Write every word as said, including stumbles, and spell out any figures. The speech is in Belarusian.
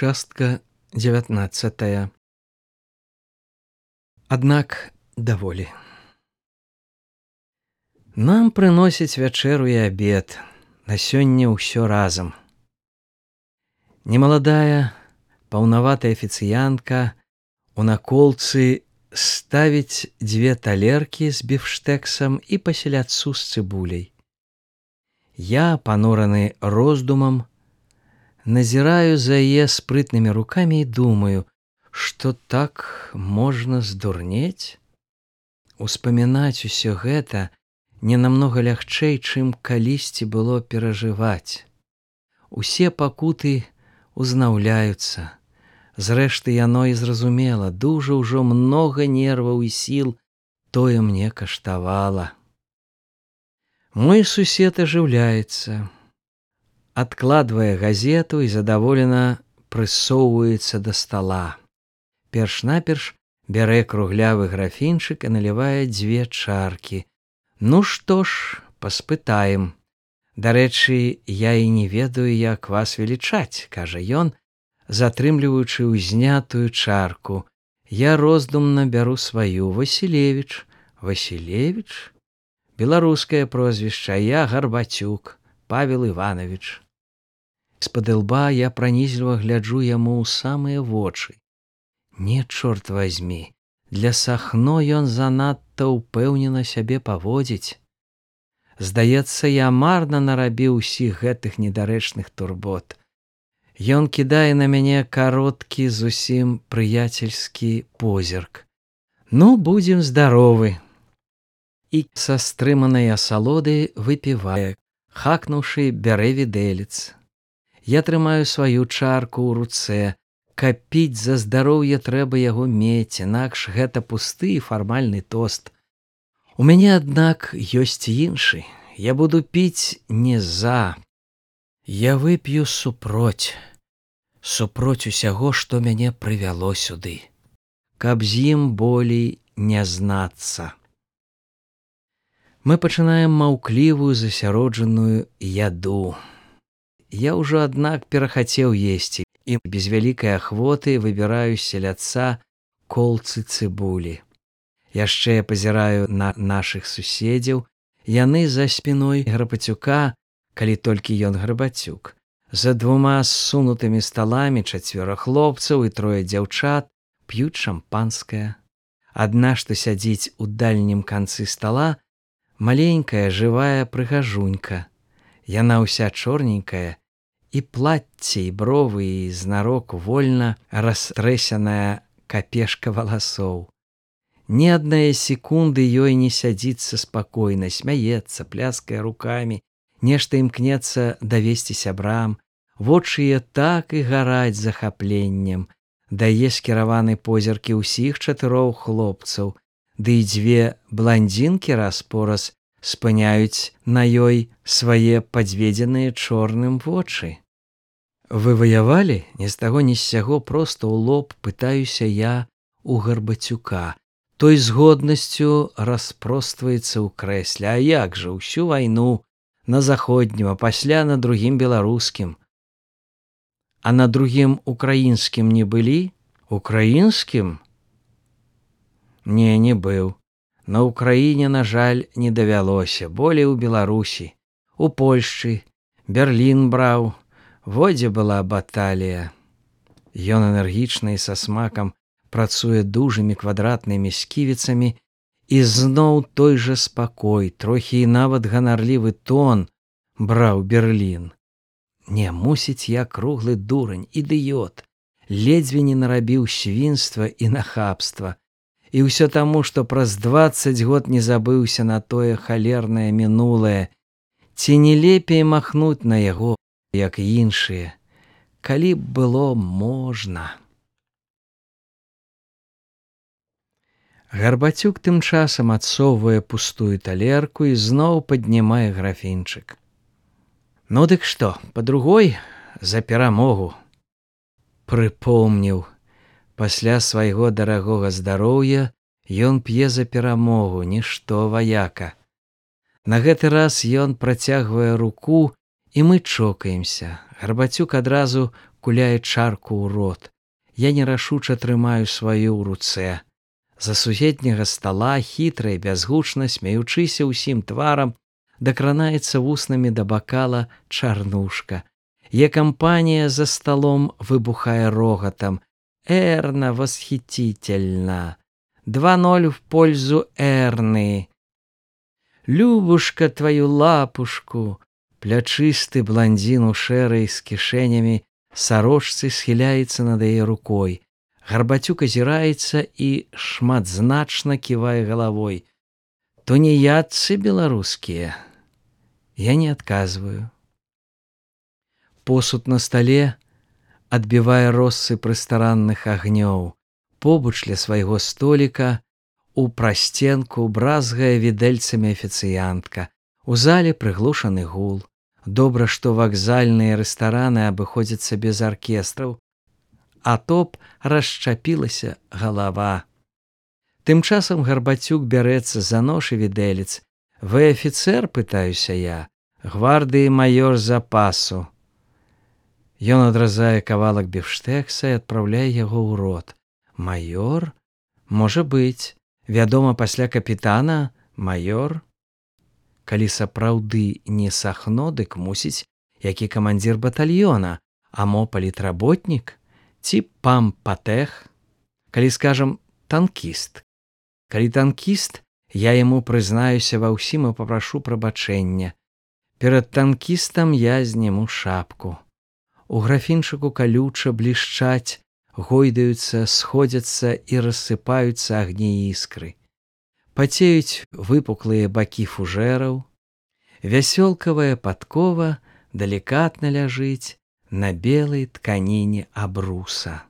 Частка дзевятнаццатая. Аднак даволі. Нам прыносяць вячэру і абед, на сёння ўсё разам. Немаладая, паўнаватая афіцыянтка у наколцы ставіць дзве талеркі з біфштэксам і па-селядцу з цыбуляй. Я, панураны роздумам, назіраю за яе спрытнымі рукамі і думаю, што так можна здурнець? Успамінаць усё гэта не намнога лягчэй, чым калісьці было перажываць. Усе пакуты узнаўляюцца. Зрэшты, яно і зразумела, дужа ўжо многа нерваў і сіл тое мне каштавала. Мой сусед ажыўляецца, адкладвае газету і задаволена прысоўваецца да стала. Перш-наперш бярэ круглявы графінчык і налівае дзве чаркі. Ну што ж, паспытаем. Дарэчы, я і не ведаю, як вас велічаць, кажа ён, затрымліваючы ўзнятую чарку. Я роздумна бяру сваю. Васілевіч. Васілевіч? Беларускае прозвішча, я Гарбацюк, Павел Іванович. З-пад лба я пранізліва гляджу яму ў самыя вочы. Не, чорт вазьмі, для Сахно ён занадта ўпэўнена сябе паводзіць. Здаецца, я марна нарабіў усіх гэтых недарэчных турбот. Ён кідае на мяне кароткі, зусім прыяцельскі позірк. Ну, будзем здаровы. І са стрыманай асалоды выпівае, хакнуўшы, бярэ відэлец. Я трымаю сваю чарку ў руцэ. Капіць за здароўе трэба яго мець, інакш гэта пусты і фармальны тост. У мяне, аднак, ёсць іншы. Я буду піць не за. Я вып'ю супроць. Супроць усяго, што мяне прывяло сюды. Каб з ім болей не знацца. Мы пачынаем маўклівую засяроджаную яду. Я ўжо, аднак, перахацеў есці і без вялікай ахвоты выбіраю з селядца колцы цыбулі. Яшчэ я пазіраю на нашых суседзяў. Яны за спіной Гарбацюка, калі толькі ён Гарбацюк. За двума ссунутымі сталамі чацвёра хлопцаў і трое дзяўчат п'юць шампанскае. Адна, што сядзіць у дальнім канцы стала, маленькая жывая прыгажунька. Яна ўся чорненькая, і плацце, і бровы, і знарок вольна растрэсяная капешка валасоў. Ні аднае секунды ёй не сядзіцца спакойна, смяецца, пляскае рукамі, нешта імкнецца давесці сябрам, вочы яе так і гараць захапленнем, дае скіраваны позіркі ўсіх чатырох хлопцаў, ды і дзве бландзінкі раз-пораз спыняюць на ёй свае падведзеныя чорным вочы. Вы ваявалі? Ні з таго, ні з сяго, проста ў лоб пытаюся я у Гарбацюка. Той з годнасцю распростваецца ў крэсле. А як жа, усю вайну на заходнім, а пасля на другім беларускім. А на другім украінскім не былі? Украінскім? Не, не быў. На Украіне, на жаль, не давялося, болей у Беларусі, у Польшчы, Берлін браў, во дзе была баталія. Ён энергічна і са смакам працуе дужымі квадратнымі сківіцамі, і зноў той жа спакой, трохі і нават ганарлівы тон браў Берлін. Не, мусіць, я круглы дурань, ідыёт, ледзьве не нарабіў свінства і нахабства. І ўсё таму, што праз дваццаць год не забыўся на тое халернае мінулае. Ці не лепей махнуць на яго, як і іншыя, калі б было можна. Гарбацюк тым часам адсоўвае пустую талерку і зноў паднімае графінчык. Ну дык што, па-другой, за перамогу. Прыпомніў. Пасля свайго дарагога здароўя ён п'е за перамогу, нішто, ваяка. На гэты раз ён працягвае руку, і мы чокаемся. Гарбацюк адразу куляе чарку ў рот. Я нерашуча трымаю сваю ў руцэ. За суседняга стала, хітра і бязгучна, смеючыся ўсім тварам, дакранаецца вуснамі да бакала Чарнушка. Е кампанія за столом выбухае рогатам. Эрна восхитительна. Два ноль в пользу Эрны. Любушка твою лапушку. Плячысты блондзін у шэрай з кішэнямі сарочцы схіляецца над яе рукой. Гарбацюк азіраецца і шматзначна ківае галавой. Тунеядцы беларускія. Я не адказваю. Посуд на стале адбівае россып рэстаранных агнёў. Побач ля свайго століка у прасценку бразгае відэльцамі афіцыянтка. У зале прыглушаны гул. Добра, што вакзальныя рэстараны абыходзяцца без аркестраў, а то б расчапілася галава. Тым часам Гарбацюк бярэцца за нож і відэлец. Вы афіцэр, пытаюся я, гвардыі маёр запасу. Ён адразае кавалак біфштэкса і адпраўляе яго ў рот. Маёр? Можа быць. Вядома, пасля капітана маёр. Калі сапраўды не Сахно, дык мусіць, які камандзір батальёна, а мо палітработнік, ці пампатэх, калі, скажам, танкіст. Калі танкіст, я яму прызнаюся ва ўсім і папрашу прабачэння. Перад танкістам я зніму шапку. У графінчыку калюча блішчаць, гойдаюцца, сходзяцца і рассыпаюцца агні іскры. Пацеюць выпуклыя бакі фужэраў. Вясёлкавая падкова далікатна ляжыць на белай тканіне абруса.